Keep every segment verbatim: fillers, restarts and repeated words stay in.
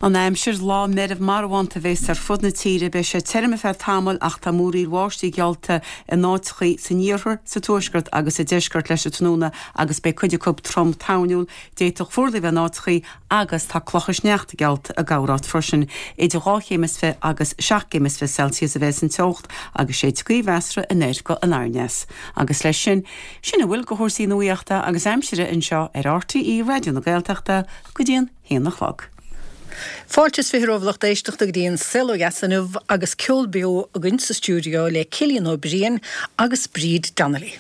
An aimsir lá meirbh marbhánta a bheas ar fud na tíre beidh sé tirim ar feadh tamaill ach tá múraíl bháistí geallta in áiteachaí san iarthar, sa tuaisceart agus sa deisceart leis an tráthnóna agus beidh cuid acu trom toirniúil. D'fhéadfadh fuarlaigh bheith in áiteachaí agus tá clocha sneachta geallta i gcorráit freisin. Idir dhá chéim is fiche agus seacht gcéim is fiche Celsius a bheas an teocht agus séidfidh gaoth mheasartha anoir go aniar. Agus leis sin, sin a bhfuil de chúrsaí nuachta agus aimsire anseo ar RTÉ Raidió na Gaeltachta go dtí an haon a chlog. Fáilte is fiche romhaibh lucht éisteachta go dtí an Saol Ó Dheas inniu agus ceol beo againn sa stiúideo le Cillian Ó Briain agus Bríd Donnelly.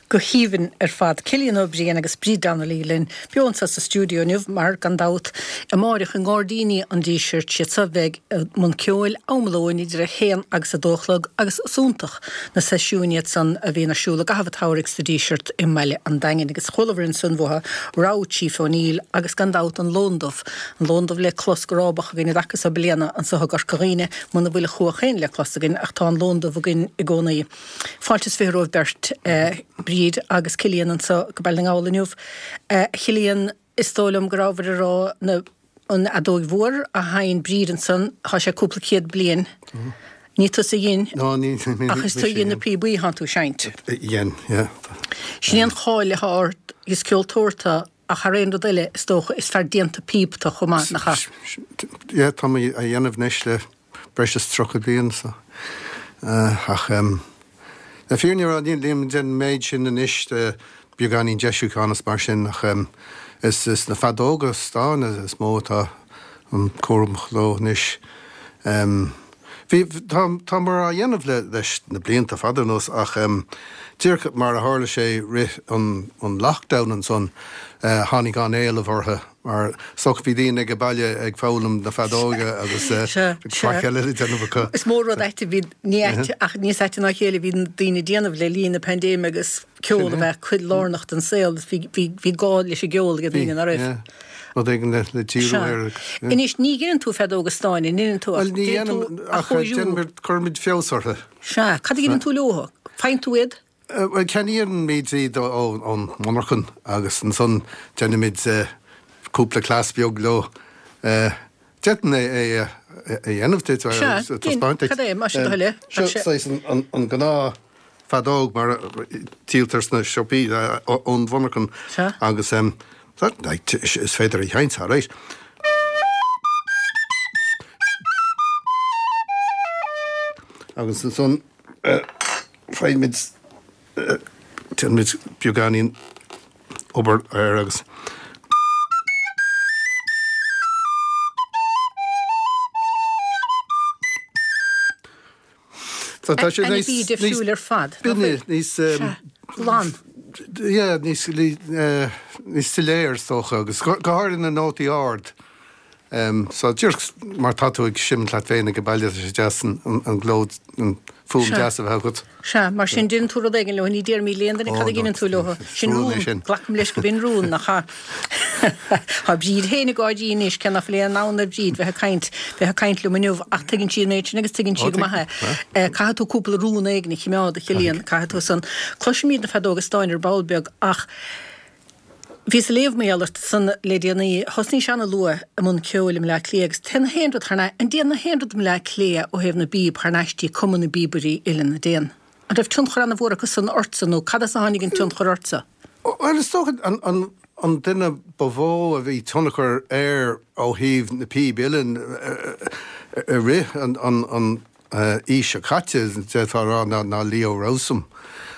Go haoibhinn ar fad. Cillian Ó Briain agus Bríd Donnelly linn beo anseo sa stiúideo inniu mar, gan dabht, amáireach i nGairdíní an Dísirt, siad seo a bheidh i mbun ceoil am lóin idir a haon agus a dó a chlog agus is iontach na seisiúin iad san a bhíonn ar siúl i gcaitheamh an tsamhraidh sa Díseart i mBaile an Daingin. Agus chualamar ansan uathu rogha Chief O'Neill agus gan dabht an Lon Dubh, an Lon Dubh le clos go rábach againn i dtaca so bliana anseo i gCorca Dhuibhne, muna bhfuil an chuach féin le clos againn ach tá an Lon Dubh againn i gcónaí. Fáilte is fiche romhaibh beirt, Bríd agus Cillian anseo go Baile na nGall inniu. A Chillian, is dóigh liom go rabhabhair ag rá na an fheadóig mhór a sheinn Bríd ansan, tá sé cúpla céad bliain. Ní tusa a dhein. No, ní Ach is tú a dhein na píobaí thánn tú ag seinnt. Dhein, yeah. Sin é an cháil atá ort, is ceoltóir tú ach thar aon rud eile, is dócha, is fear déanta píob tú chomh maith, nach ea? Yeah, tá mé á dhéanamh anois le breis is tríocha bliain, so. Ach le fírinne a rá, nílim ag déanamh an méid sin anois, beagáinín deisiúcháin is mar sin, ach is na feadóga stáin is mó atá an cúram leo anois. Bhí, tá, támar á dhéanamh le, leis na blianta fada anuas ach díreach mar a tharla sé rith an, an lockdown ansan, tháinig an-éileamh orthu mar is dócha bhí daoine ag baile ag foghlaim na feadóige agus faic eile le déanamh acu. Is mór rud ait a bhí, ní ait ach níos aite ná a chéile a bhí daoine ag déanamh le linn na paindéime agus ceol a bheith cuid lárnach den saol, bhí, bhí, bhí gá leis an gceol ag daoine, nach raibh? Rud éigin le le díriú air. Anois, ní dheineann tú feadóga stáin, an ndeineann tú? Bhuel, ní dhéanaim ach déanaimid, cuirimid feabhas orthu. Sea. Cad a dheineann tú leo? Faigheann tú iad? Bhuel, ceannaímid iad ón monarchan agus ansan déanaimid cúpla cleas beag leo. D'fhéadfainn é a dhéanamh duit, a taispeáint duit. Sea, cad é, más é do thoil é. Seo saghas an gnáth feadóg mar a díoltar sna siopaí ón mhonarchan agus is féidir a sheinnt, alright. Agus ansan faighimid, déanaimid beagáinín obair air agus. So tá sé níos difriúil ar fad. Binne, níos glan. Yeah, níos níos soiléir is dócha agus go háirithe na nótaí ard. So díreach mar tá tú ag seimint leat féin ag baile tá sé deas an glór, an fuaim deas a bheith agat. Sea, mar sin déanann tú rud éigin leo, ní déarfaimid le haon duine cad a dheineann tú leo. Sin rún, glacaim leis gurb in rún, nach ea? Tá Bríd féin ag gáirí anois, cé nach bhfuil aon fhonn ar Bhríd bheith ag caint, bheith ag caint liom inniu, ach tuigeann sí an méid sin agus tuigeann sí go maith é. Caithfidh tú cúpla rún éigin a chimeád, a Chillian, caithfidh tú san. Cloisfimid na feadóga stáin ar ball beag ach Bhíos ag léamh mar gheall ort san le déanaí. Thosnaís ana-luath i mbun ceoil i mBleá Cliath agus téann na haon rud thar n-ais, an dtéann na haon rud i mBleá Cliath ó thaobh na bpíob thar n-ais dtí Cumann na bPíobairí Uilleann, an dtéann? An raibh tionchar ana-mhór acu san ortsa nó cad as a tháinig an tionchar ortsa? Bhuel, is dócha an, an, an duine ba mhó a bhí tionchar air ó thaobh na píob uilleann i rith an, an, an, aois seo caite, d'fhéadfá a rá, ná Leo Rowsome.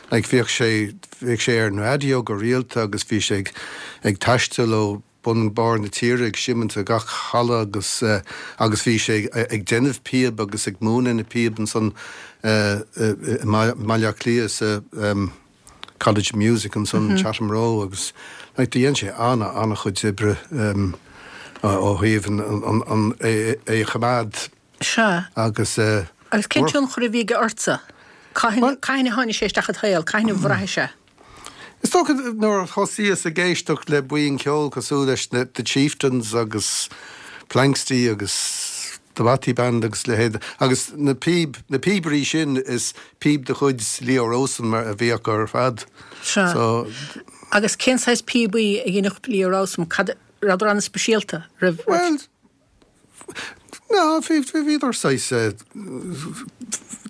Like, bhíodh sé, bhíodh sé ar an raidió go rialta agus bhí sé ag, ag taisteal ó bun barr na tíre ag seimint i gach halla agus, agus bhí sé ag déanamh píob agus ag múineadh na píob ansan i mBaile Átha Cliath sa College of Music ansan, Chatham Row agus like do dhein sé ana, ana-chuid oibre ó thaobh an, an, an, é a choimeád. Sea. Agus. Agus cén tionchar a bhí aige ortsa? Cathain, cathain a tháinig sé isteach id shaol? Cathain a bhraithis é? Is dócha nuair a thosaíos ag éisteacht le buíon ceoil cosúil leis na The Chieftains agus Planxty agus The Bothy Band agus leithéid, agus na píb, na píobairí sin, is píob de chuid Leo Rowsome mar a bhí acu ar fad. Sea. So. Agus cén saghas píobaí a dheineadh Leo Rowsome? Cad, rabhadar an-speisialta? Raibh, raibh. Bhuel, Ná, bhí, bhíodar saghas,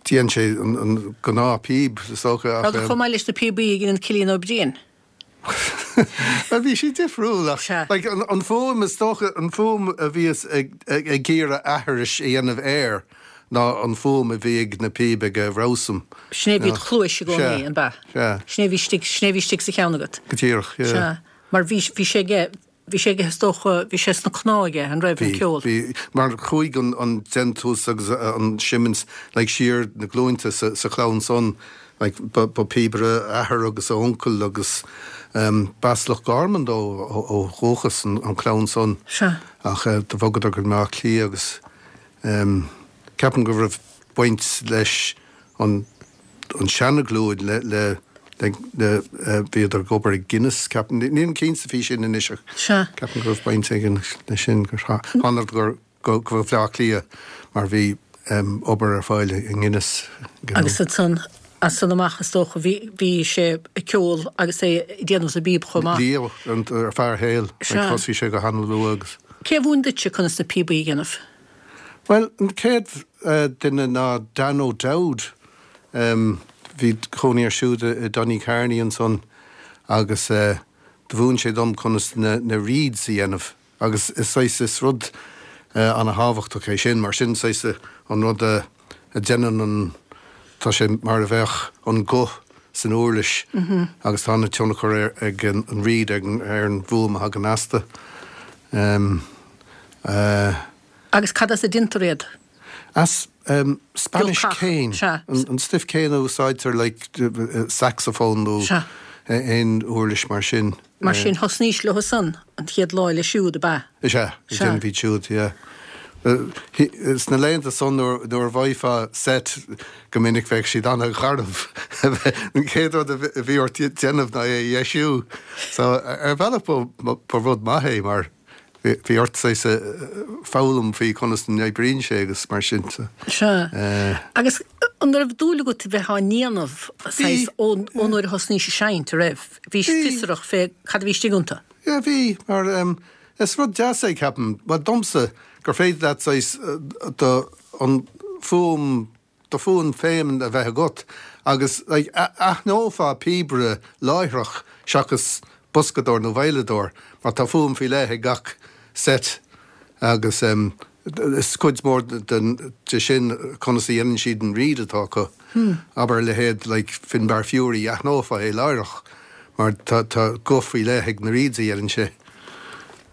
dhein sé an gnáth píob, is dócha, ach. Rabhadar chomh maith leis na píobaí a dheineann Cillian Ó Briain. Bhuel, bhí siad difriúil ach, like, an fuaim, is dócha, an fuaim a bhíos ag, ag iarraidh aithris a dhéanamh air ná an fuaim a bhí ag na píob ag Rowsome. Sin é a bhí id chluais i gcónaí, an b'ea? Sea. Sin é a bhí istigh, sin é a bhí istigh sa cheann agat. Go díreach, yeah. Sea. Mar bhí, bhí sé aige, Bhí sé aige, is dócha, bhí sé sna cnámha aige, an raibh, an Bhí, ceol? bhí, mar chuaigh an, an déantús agus an seimint like siar na glúinte sa, sa chlann san, like ba, ba píobaire a athair agus a uncail agus ehm b'as Loch Garman dó ó, ó dhúchas an, an chlann san. Sea. Ach eh do bhogadar go Bleá Cliath agus ehm ceapaim go raibh baint leis an, an seana-ghlúin le, le, le, le, bhíodar ag obair i Guinness, ceapaim, nílim cinnte faoi sin anois ach Sea. ceapaim go raibh baint éigin leis sin, gur thánadar go, go Bleá Cliath mar bhí obair ar fáil i nGuinness. Agus ansan, as san amach is dócha, bhí, bhí sé ag ceol agus é ag déanamh na bpíob chomh maith. Leo ar feadh a shaoil, Sea. thosaigh sé go han-luath agus. Cé a mhúin duitse conas na píobaí a dhéanamh? Bhuel, an chéad duine ná Dan O'Dowd. Bhí cónaí air siúd i Donnycarney ansan agus do mhúin sé dom conas na, na reeds a dhéanamh agus is saghas is rud uh, an-thábhachtach é sin mar sin saghas an rud a, a dhéanann an tá sé mar a bheadh an guth san uirlis mm -hmm. agus tá an-tionchar ar ag an, an reed ag an, ar an bhfuaim a thagann astu. Um, uh, Agus cad as a déantar iad? As um, Spanish Giolcach, cane sea. an, an stuif céanna a úsáidtear like uh, saxophone nó Sea. aon uirlis mar sin. Mar sin thosnaís leo san an chéad lá le siúd ab ea. Is ea, Sea. déanamh iad siúd, yeah. Uh, hi- Sna laethanta san nuair nuair a bhfaighfeá set go minic bheadh siad an-gharbh. An chéad rud a bhí- a bhí ort déanamh ná é a dheisiú. So ar bhealach ba ba rud maith é mar bhí bhí ort saghas foghlaim faoi conas a n-oibríonn sé agus mar sin. So. Sea. Eh, Agus an raibh dúil agat a bheith á ndéanamh saghas ó ó nuair a thosnaís ag seinnt a raibh. Bhí Bhí. fiosrach fé cad a bhí istigh iontu. Yeah, bhí mar um, is rud deas é ceapaim, well domsa gur féidir leat saghas uh, do an fuaim do fuaim féin a bheith agat agus like, a- aithneofá píobaire láithreach seachas boscadóir nó veidhleadóir mar tá fuaim faoi leith ag gach set agus um, is cuid mór den de sin conas a dhéanann siad an reed atá acu. Hmm. Abair leithéid like, Finbar Furey aithneofá é láithreach mar tá tá guth faoi leith ag na reeds a dhéanann sé.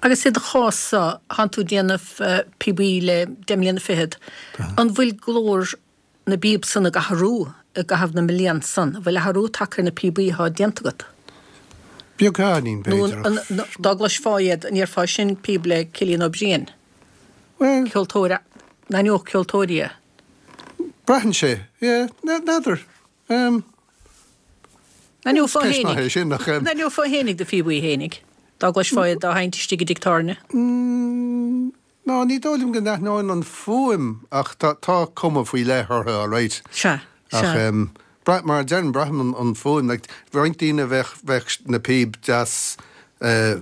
Agus i do chás sa tánn tú ag déanamh uh, píobaí le deich mbliana fichead. An bhfuil glór na bpíob san ag athrú i gcaitheamh na mblianta san, an bhfuil athrú tagtha ar na píobaí atá déanta agat. Beagáinín Nó b'fhéidir. an- an- dá gcloisfeá iad an ndéarfá sin píob le Cillian Ó Briain, Well, ceoltóir n-aithneodh ceoltóirí é. braitheann sé, yeah, n'fheadar. Um, N-aithneofá Ceist maith é fhéinig. sin ach um, N-aithneofá fhéinig do phíobaí fhéinig. Dá gcloisfeá iad á seinnt istigh i dtigh tábhairne. mm, ná ní dóigh liom go n-aithneoinn an fuaim ach tá tá cuma faoi leith orthu all right. Sea, Ach sea. um, bra mar a deirim braithim an, an fuaim, like, roinnt daoine bheadh bheadh na píob deas uh,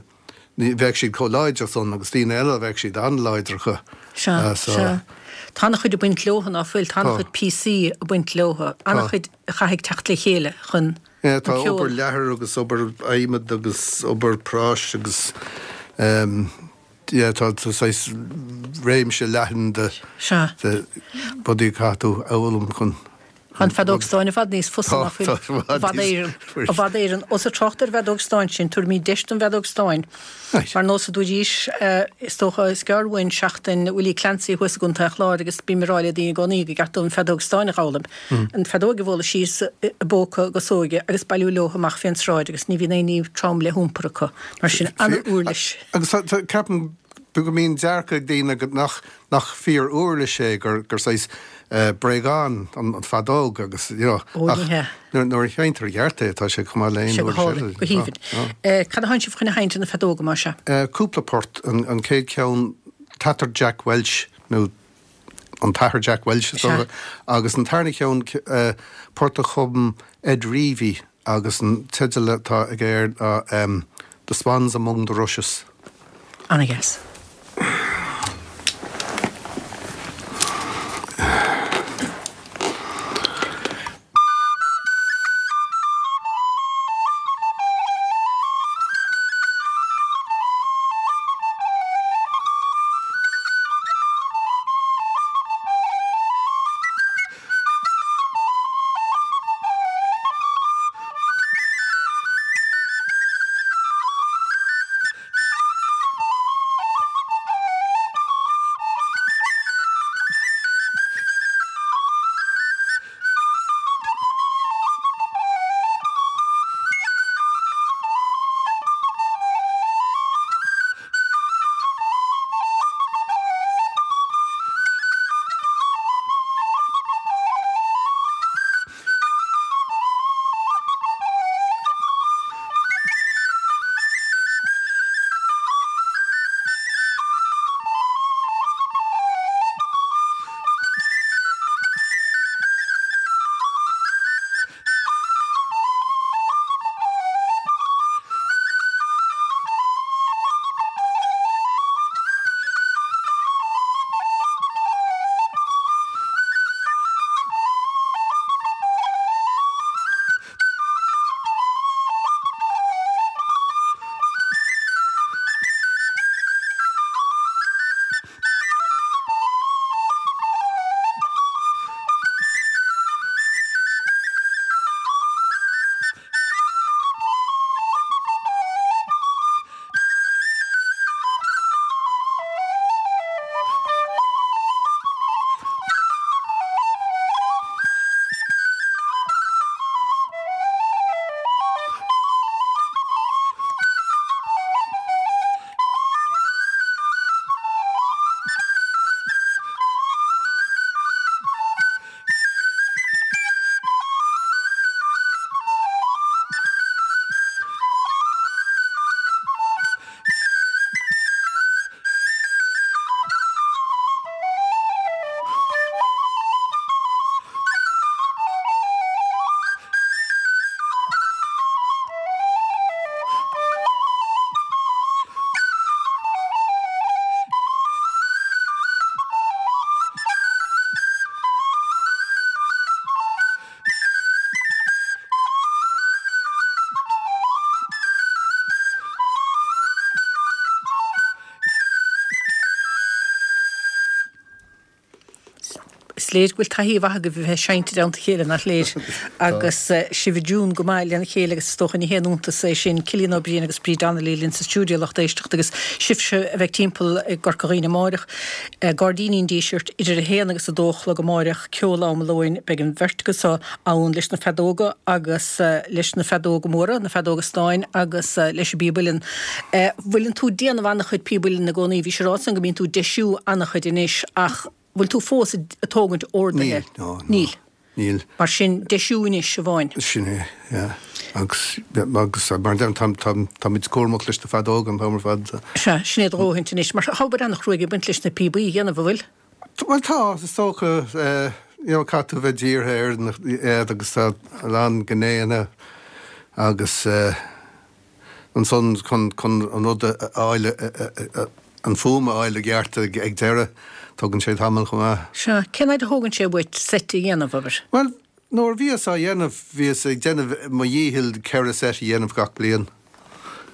ní bheadh siad chomh láidir san agus daoine eile bheadh siad an-láidir acu. Sea, Uh, so- sea. Tá an-chuid ag baint leo ná fuil, tá Tá. an-chuid píosaí ag baint leo, an-chuid a chaithfidh teacht le chéile chun Yeah, tá an ceol. obair leathair agus obair adhmaid agus obair práis agus um, yeah, tá tá saghas réimse leathan de Sea. de rudaí a chaithfidh tú a fhoghlaim chun An feadóg stáin i bhfad níos fusa Tá, ná fuil tá, i bhfad i bhfad níos Éireann. fusa. I bhfad Éireann. Ós ag trácht ar bhfeadóg stáin sin, tabharfaimid deis don bhfeadóg stáin. Right. Mar nós a dúidís is dócha is gearr uainn seachtain Willie Clancy thuas i gContae an Chláir agus bím ag rá le daoine i gcónaí gur cheart dóibh an feadóg stáin a fhoghlaim. An feadóg a bhualadh síos i bpóca a gasóige agus bailiú leo amach fén sráid agus ní bhíonn aon ní trom le hiompar acu. Mar sin an-uirlis. Agus tá- tá- ceapaim go mbíonn dearcadh ag daoine go nach nach fíor uirlis é gur gur saghas uh, bréagán an, an feadóg agus you know, Ó, ní ach hea. nuair nuair a sheinntear i gceart é tá sé chomh maith le aon Sé go uirlis hálainn, eile. go haoibhinn. Tá, Eh, Cad a tánn sibh chun a sheinnt ar na feadóga mar seo? tá. Uh, cúpla port an, an chéad ceann Tatar Jack Welch nó an tAthair Jack Welch is Sea. dócha, agus an tarna ceann uh, port a chum Ed Reavy agus an teideal atá aige air ná um, The Swans Among the Rushes. An-dheas. léir go bhfuil taithí mhaith agaibh a bheith ag seinnt i dteannta a chéile, nach léir? Agus sibh i dtiún go maith lena chéile agus is dócha ní haon iontas é sin. Cillian Ó Briain agus Bríd Donnelly linn sa stiúideo, lucht éisteachta, agus sibhse a bheidh timpeall i gCorca Dhuibhne amáireach, Gairdíní an Dísirt, idir a haon agus a dó a chlog amáireach, ceol am lóin, beidh an bheirt acu so ann leis na feadóga agus leis na feadóga móra, na feadóga stáin agus leis an bpíob uilleann. Bhfuileann tú ag déanamh an-chuid píob uilleann i gcónaí? Bhí sé ráite go mbíonn tú ag deisiú an-chuid anois ach bhfuil tú fós ag tógaint orduithe? Níl, no, no. Níl. Níl. Mar sin, deisiú anois amháin. Sin é, yeah. Agus, agus mar deirim, tá, tá, táimid cúramach leis na feadóga an t-am ar fad. Sea, sin é do dhóthaint anois. Mar tá obair an-chruaidh ag baint leis na píobaí a dhéanamh, an bhfuil? Bhuel tá, is dócha, you know, caithfidh tú a bheith dírithe ar na, iad agus tá a lán gnéanna agus eh, ansan chun, chun an rud a fháil, an fuaim a fháil i gceart ag, ag deireadh, tógann sé tamall chomh maith. Sea, cén fhaid a thógann sé uait seit a dhéanamh, abair? Bhuel, nuair a bhíos á dhéanamh, bhíos ag déanamh mo dhícheall ceithre seit a dhéanamh gach bliain,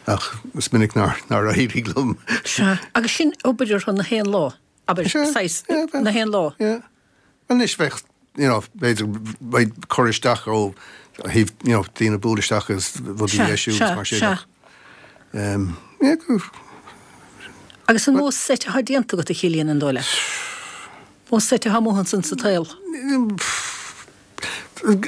ach is minic nár, nár éirigh liom. Sea, agus sin obair orthu na haon lá, abair, Sea, saghas, yeah, bheadh. na haon lá. Yeah. Anois bheadh, you know, b'fhéidir, beidh cur isteach ó thaobh, you know, daoine bualadh isteach agus rudaí a dheisiú agus mar sin ach, um, yeah, go. Agus an mó seit atá déanta agat, a Chillian, an dóigh leat? Mó seit atá amuigh ansan sa tsaol?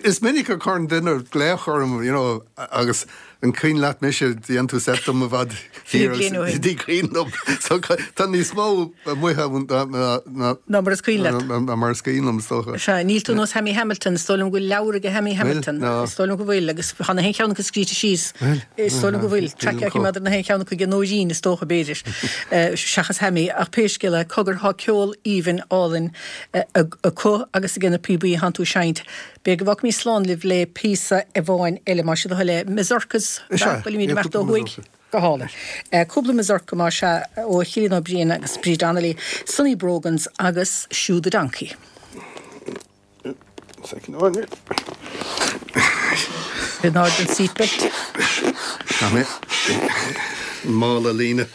Is minic a chuireann duine glaoch orm, you know, agus an cuimhin leat mise, dhein tú seit dom i bhfad Fiche thiar bliain ó shin. Ní cuimhin liom. So tá níos mó amuigh ann ná ná Ná mar is cuimhin leat. ná mar is cuimhin liom, is dócha. Sea, níl tú nós Hammy Hamilton, is dóigh liom go bhfuil leabhar aige Hammy Hamilton. Bhfuil? Is dóigh liom go bhfuil, agus tá na haon cheann acu scríte síos. Bhfuil? Is dóigh liom go bhfuil. Níl Traic liom maidir na haon cheann acu ag Nóirín, is dócha, b'fhéidir, seachas Hammy. Ach pé scéal é, cogar, tá ceol aoibhinn álainn acu agus aige na píobaí a thánn tú ag seinnt. B'fhéidir go bhfágfaimid slán libh le píosa amháin eile, más é do thoil é. Mazurkas, Is ea, bhfuilimid ag imeacht ó cúpla thuaidh? mazurka. Go hálainn. Cúpla mazurka más ea ó Chillian Ó Briain agus Bríd Donnelly, Sonny Brogans agus Shoe the Donkey. Second one here. In airde an seatbelt. Tá mé. Mála líne.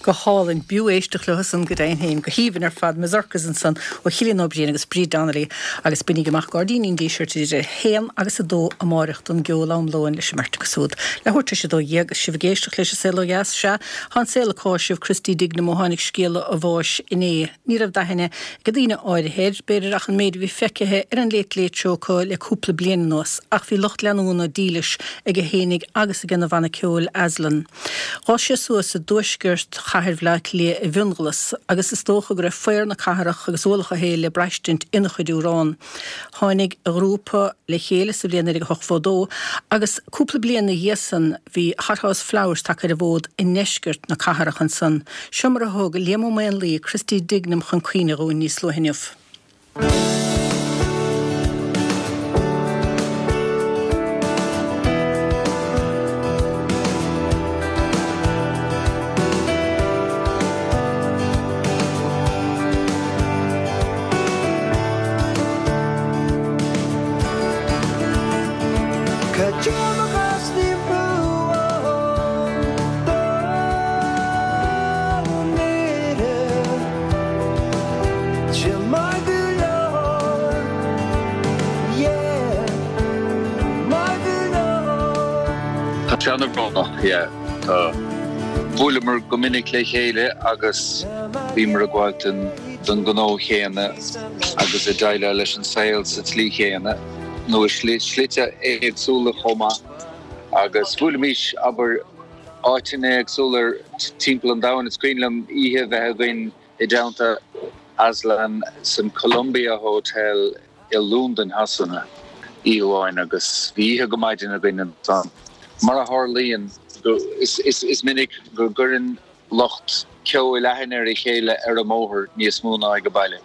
Go hálainn b'fhiú éisteacht leo san go deimhin féin, go haoibhinn ar fad, Mazurkas ansan ó Chillian Ó Briain agus Bríd Donnelly agus bainigí amach Gairdíní an Dísirt idir a haon agus a dó amáireach don gceol am lóin leis an mbeirt acu súd. Leathuair tar éis a dó dhéag agus sibh ag éisteacht leis an Saol Ó Dheas, sea, tá an saol ag cáiseamh Christy Dignam ó tháinig scéala a bháis inné. Ní raibh d'aithne ag daoine áirithe air, b'fhéidir ach an méid a bhí feicthe ar an Late Late Show acu le cúpla bliain anuas, ach bhí lucht leanúna dílis aige fhéinig agus ag a bhanna ceoil Aslan. D'fhás sé suas i dtuaisceart chathair Bhaile Átha Cliath i bhFionnghlas agus is dócha go raibh faobhar na cathrach agus ualach an tsaoil le braistint ina chuid amhrán. Tháinig a ghrúpa le chéile sa bhliain naoi déag ochtó dó agus cúpla bliain ina dhiaidh san bhí Hothouse Flowers tagtha ar an bhfód i ndeisceart na cathrach ansan. Seo mar a thug Liam Ó Maonlaí Christy Dignam chun cuimhne dhúinn níos luaithe inniu. Tá sé an-bhrónach, yeah. Tá. Bhuaileamar go minic le chéile agus bhíomar ag gabháil don ghnó chéanna agus ag déileáil leis an saol sa tslí chéanna, nó i slite éagsúla chomh maith. Agus bhuailimís, abair, áiteanna éagsúla timpeall an domhain. Is cuimhin liom oíche a bheith againn i dteannta Aslan san Columbia Hotel i Londain Shasana oíche amháin agus bhí oíche go maidin againn ansan. Mar a tharlaíonn, is minic go gcuireann lucht ceoil aithne ar a chéile ar an mbóthar níos mó ná ag an baile.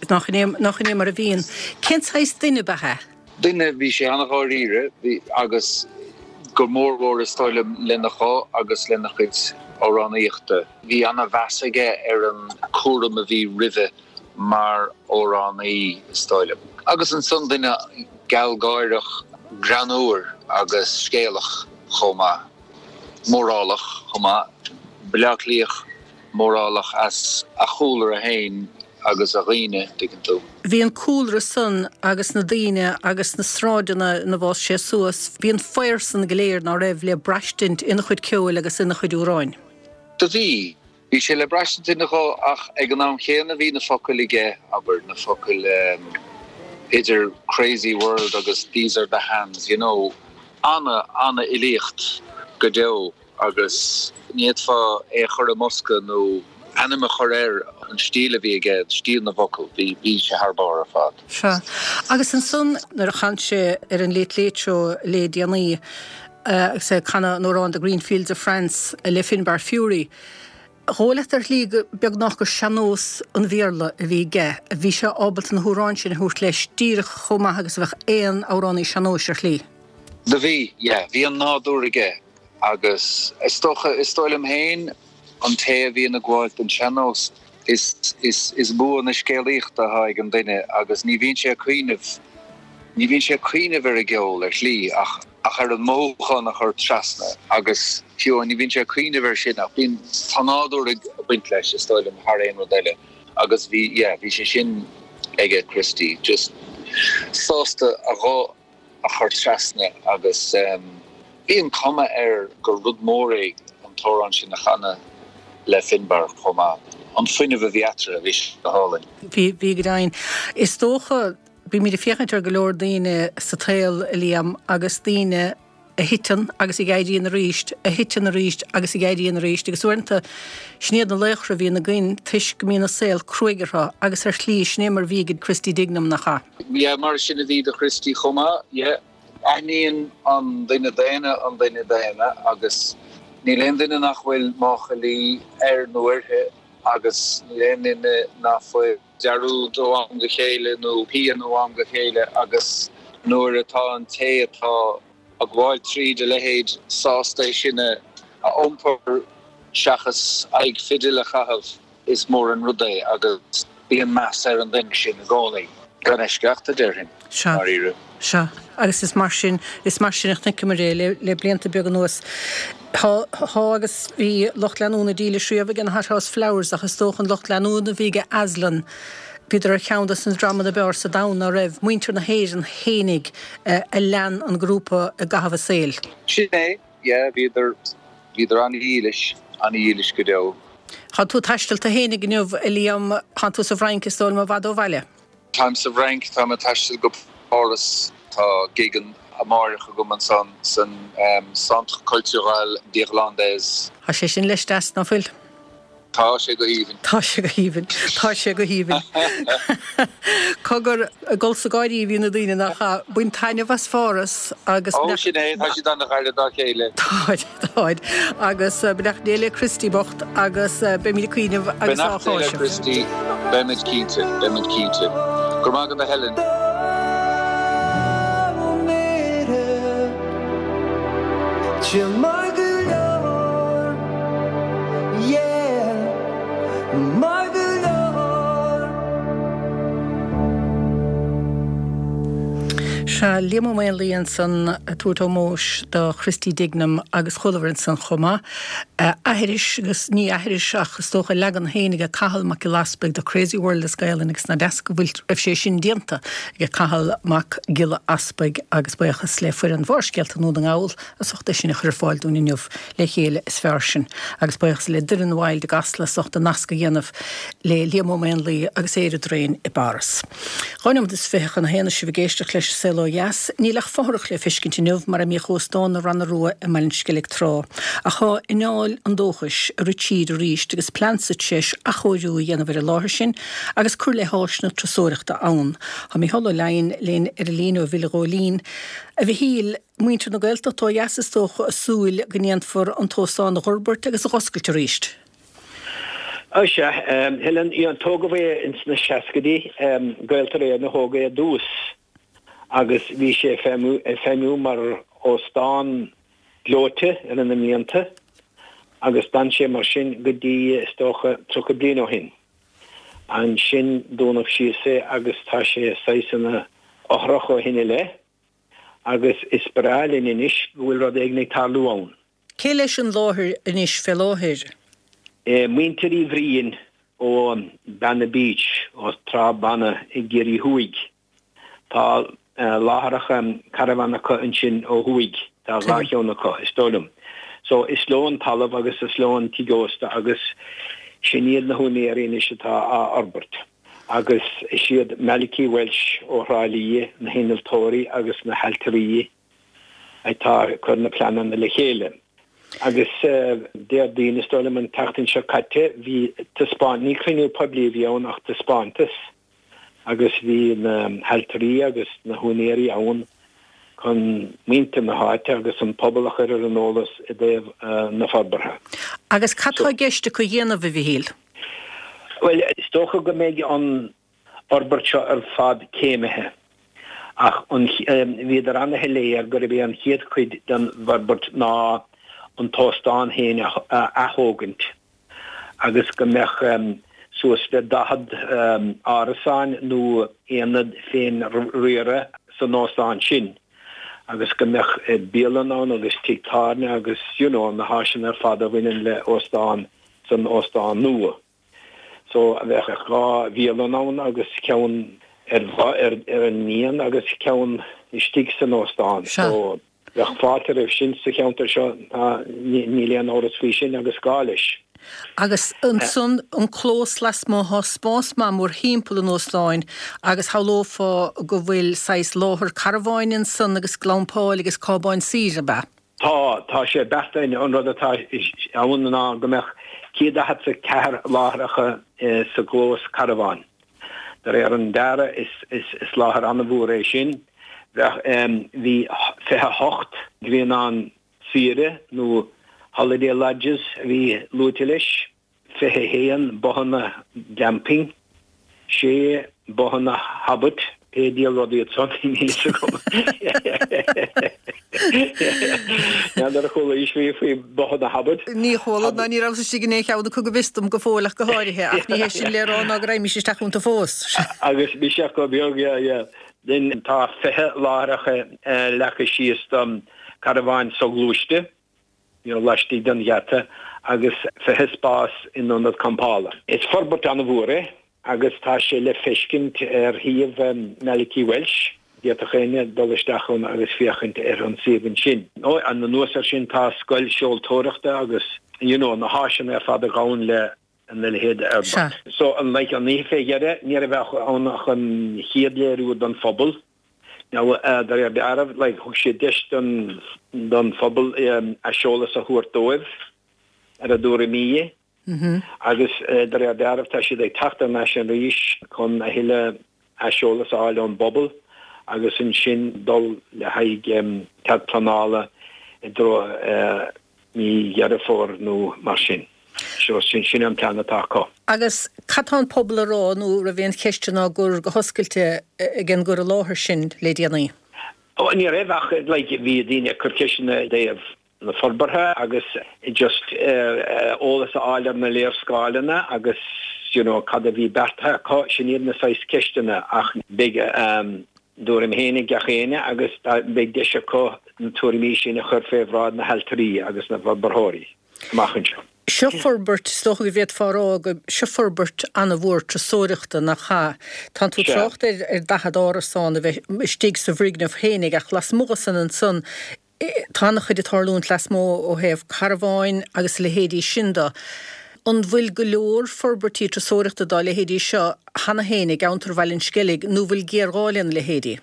Nach in é mar a bhíonn. Cén saghas duine ab ea é? Duine, bhí sé an-dháiríre agus go mórmhór is dóigh liom lena ghuth agus lena chuid amhránaíochta. Bhí an-mheas aige ar an chúram a bhí roimhe mar amhránaí, is dóigh liom. Agus ansan duine gealgháireach, greannmhar agus scéalach chomh maith. Mórálach chomh maith. Baile Átha Cliathach mórálach as a chúlra fhéin agus a dhaoine, tuigeann tú. Bhí an cúlra san agus na daoine agus na sráideanna ina bhfás sé suas, bhí an faobhar san go léir, ná raibh, le braistint ina chuid ceoil agus ina chuid amhráin. Do bhí. Bhí sé le braistint ina ghuth ach ag an am chéanna bhí na focail aige, abair, na focail idir Crazy World agus These Are The Hands, you know, ana, ana-fhilíocht go deo agus ní fhéadfá é a chur i mbosca nó ainm a chur air, an stíl a bhí aige, stíl na bhfocal, bhí, bhí sé thar barr ar fad. Sea. Agus ansan nuair a chan sé ar an Late Late Show le déanaí, agus é ag canadh an amhráin The Green Fields of France le Finbar Furey, dhóigh leat ar shlí go beagnach gur sean-nós an Bhéarla a bhí aige. Bhí sé ábalta na hamhráin sin a thabhairt leis díreach chomh maith agus a bheadh aon amhránaí sean-nóis ar shlí. Do bhí, yeah. Bhí an nádúr aige agus is dócha, is dóigh liom féin, an té a bhíonn ag gabháil don sean-nós, is, is, is bua na scéalaíochta atá ag an duine agus ní bhíonn sé ag cuimhneamh, ní bhíonn sé ag cuimhneamh ar an gceol ar shlí ach, ach ar an mothúchán a chur trasna agus fiú ní bhíonn sé ag cuimhneamh air sin ach bíonn, tá nádúr ag baint leis is dóigh liom thar aon rud eile agus bhí, yeah, bhí sé sin aige Christy, just sásta a ghuth a chur trasna agus bhí an cuma air gur rud mór é an t-amhrán sin a chanadh le Finbar chomh maith. An fuinneamh a bhí eatarthu, bhí sé go hálainn. Bhí, bhí go deimhin. Is dócha, bímid ag féachaint ar go leor daoine sa tsaol, a Liam, agus daoine a thiteann agus a éiríonn arís, a thiteann arís agus a éiríonn arís, agus uaireanta sin iad na laochra a bhíonn againn toisc go mbíonn an saol cruaidh orthu agus ar shlí sin é mar a bhí ag Christy Dignam, nach ea? Yeah, mar sin a bhí do Christy chomh maith, yeah. Aithníonn an duine daonna an duine daonna agus níl aon duine nach bhfuil máchailí air nó uirthi agus níl aon duine nach bhfuil dearúd ó am go chéile nó pian ó am go chéile agus nuair atá an té atá ag gabháil tríd a leithéid sásta é sin a iompar seachas aghaidh fidil a chaitheamh, is mór an rud é agus bíonn meas ar an duine sin i gcónaí, gan eisceacht, a déarfainn, Sea. dáiríre. Sea, agus is mar sin, is mar sin a chonaiceamar é le, le blianta beaga anuas. Tá, tá agus bhí lucht leanúna dílis riamh ag na Hothouse Flowers ach is dócha an lucht leanúna a bhí ag Aslan, bhíodar ar cheann de na dreamanna ab fhearr sa domhan, ná raibh muintir na hÉireann fhéinig a lean an grúpa i gcaitheamh a saoil. Sin é, yeah, bhíodar, bhíodar an-dhílis, an-dhílis go deo. Tá tú ag taisteal tú fhéinig inniu, a Liam, tá tú sa bhFrainc is dóigh liom i bhfad ó bhaile. Táim sa bhFrainc, táim ag taisteal go Páras, tá gig amáireach agam ansan san Centre Culturel d'Irlandais. Tá sé sin leis deas, ná fuil? Tá sé go haoibhinn. Tá sé go haoibhinn. Tá sé go haoibhinn. Cogar, ag gol 's ag gáirí a bhí na daoine nach ea? Bain taitneamh as Pháras agus. Ó, sin é, tá siad ana-ghar dá chéile. Táid, táid. Agus beannacht Dé le Christy bocht agus beimid ag cuimhneamh agus á Beannacht Dé le cháiseamh. Christy, beimid cinnte, beimid cinnte. Go raibh maith agat a Helen. Sea, Liam Ó Maonlaí ansan ag tabhairt ómóis do Christy Dignam agus chualamar ansan chomh maith aithris agus ní aithris ach is dócha leagan féin aige Cathal Mac Giolla Easpaig de Crazy World as Gaelainn agus nach deas go bhfuil raibh sé sin déanta aige Cathal Mac Giolla Easpaig agus buíochas le foireann Bharrscéalta Dhún na nGall as ucht é sin a chur ar fáil dúinn inniu le chéile is fearr sinn agus buíochas le Doireann Wilde i gCasla as ucht an nasc a dhéanamh le Liam Ó Maonlaí agus Éire Drain i bPáras. Dhá nóiméad is fiche chun a haon is sibh ag éisteacht leis an Saol Ó Dheas. Níl ach fothrach le feiscint inniu mar a mbíodh Óstán na Ranna Rua i mBaile an Sceilg tráth. Ach tá anáil an dóchais ag rith tríd arís agus plean sa treis athchóiriú a dhéanamh ar an láthair sin agus cur le háiseanna turasóireachta ann. Tá Mícheál Ó Leidhin linn ar an líne ó Bhaile Ghóilín. A Mhichíl, muintir na Gaeltachta ó dheas is dócha ag súil go ndéanfar an t-óstán a dh'fhorbairt agus a dh'oscailt arís. Ó sea, Helen, tógadh é ins na seascaidí, Gaeltarra Éireann a thóg é i dtús agus bhí sé ag feidhmiú mar óstán gleoite i rith na mblianta agus d'fhan sé mar sin go dtí, is dócha, tríocha bliain ó shin. Ansin dúnadh síos é agus tá sé saghas ina fhothrach ó shin i leith agus is breá linn anois go bhfuil rud éigin ag tarlú ann. Cé leis an láthair anois fé láthair? Muintir Uí Bhriain ó Banna Beach, ó Trá Banna i gCiarraí Thuaidh. Tá láithreacha caravan acu ansin ó thuaidh, tá dhá cheann acu, is dóigh liom. So, is leo an talamh agus is leo an tigh ósta agus sin iad na húinéirí anois atá á fhorbairt. Agus is iad Malachy Walsh ó Thrá Lí na hinnealtóirí agus na hailtirí atá ag cur na pleananna le chéile. Agus Déardaoin, is dóigh liom, an tseachtain seo caite, bhí taispeáint, ní cruinniú poiblí a bhí ann ach taispeántas, agus bhí na hailtirí agus na húinéirí ann chun muintir na háite agus an pobal a chur ar an eolas i dtaobh na forbartha. Agus cad tá i gceist acu a dhéanamh, a Mhichíl? Bhuel, is dócha go mbeidh an fhorbairt seo ar fad céimithe, ach an, bhíodar ana-shoiléir gurb é an chéad chuid den bhforbairt ná an t-óstán féin a ath-thógaint. agus go mbeadh suas le daichead árasán nó aonad féin-riartha san óstán sin agus go mbeadh bialann ann agus tigh tábhairne agus you know na háiseanna ar fad a bhaineann le óstán san óstán nua. So bheadh dhá bhialann ann agus ceann ar ar an ndíon agus ceann istigh san óstán. So Bheadh fáilte roimh sin sa cheantar seo, níl aon amhras faoi sin, agus gá leis. Agus ansan an clós lasmuigh, tá spás maith mórthimpeall an óstáin agus shamhlófá go bhfuil saghas láthair carbháin ansan agus glampáil agus cábáin saoire, ab ea? Tá, tá sé beartaithe. An rud atá ann ná go mbeadh céad daichead is a ceathair láithreacha sa gclós carbháin. De réir an dearaidh, is láthair an-mhór é sin. Bheadh, bhí fiche a hocht grianán saoire nó holiday lodges a bhí luaite leis, fiche a haon bothanna glamping, sé bothanna hobbit, pé diabhal rud iad san, níl fhios agam. N'fheadar ar chualaís riamh faoi bothanna hobbit. Ní chuala, ná ní rabhas istigh in aon cheann acu go bhfios dom go fóill ach go háirithe, ach ní hé sin le rá ná go raghaimís isteach iontu fós. Agus bhí sé chomh beag, yeah, yeah. Then tá fiche láithreacha leagtha síos do carbháin soghluaiste, you know, laistigh den gheata agus fiche spás in ionad campála. Is forbairt an-mhór é agus tá sé le feiscint ar shuíomh Malachy Walsh. D'fhéadfadh éinne dul isteach ann agus féachaint ar an suíomh ansin. Anuas air sin tá scoil seoltóireachta agus you know, na háiseanna ar fad a ghabhann le na leithéid de fhorbairt. So an like an oíche fé dheireadh ní raibh ach ann ach an chéad léiriú don phobal. Now de réir dealraimh like thug siad deis don don phobal aiseolas a thabhairt dóibh ar a dtuairimí agus de réir dealraimh tá siad ag teacht thar n-ais arís chun a thuilleadh aiseolas a fháil ón bpobal agus ansin dul le haghaidh cead pleanála i dtreo mí Dheireadh Fómhair nó mar sin. So sin sin an plean atá acu. Agus cad tá an pobal a rá nó raibh aon cheisteanna á gcur go hoscailte ag an gcur i láthair sin le déanaí? Ó ní raibh ach like bhí daoine ag cur ceisteanna i dtaobh na forbartha agus just eolas a fháil ar na léarscáileanna agus you know cad a bhí beartaithe acu, sin iad na saghas ceisteanna ach beidh a dtuairim féin ag gach éinne agus beidh deis acu na tuairimí sin a chur fé bhráid na hailtirí agus na bhforbarthóirí amach anseo. Seo forbairt, is dócha go bhféadfá a rá go, seo forbairt an-mhór turasóireachta, nach ea? Tánn tú ag trácht ar ar daichead árasán a bheith istigh sa bhfoirgneamh féinig ach lasmuigh de san ansan, tá an-chuid ag tarlúint lasmuigh ó thaobh carbháin agus a leithéidí sin de. An bhfuil go leor forbairtí turasóireachta dá leithéidí seo cheana féin i gceantar Bhaile an Sceilg nó bhfuil géarghá lena leithéidí?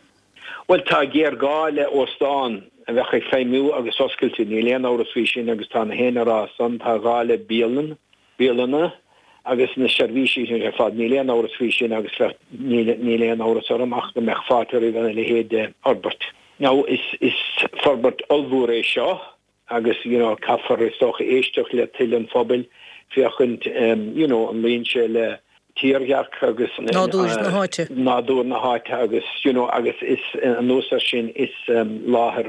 Bhuel, tá géarghá le óstán a bheadh ag feidhmiú agus oscailte, níl aon amhras faoi sin agus tá na héinne ag rá san, tá gá le bialann, bialanna agus na seirbhísí sin ar fad, níl aon amhras faoi sin agus bheadh, níl, níl aon amhras orm ach go mbeadh fáilte roimh a leithéid de fhorbairt. Now, is, is forbairt ollmhór é seo agus, you know, caithfear is dócha éisteacht le toil an phobail, féachaint, you know, an luíonn sé le tírdhreach agus nádúr na háite. nádúr na háite agus you know agus is anuas air sin is láthair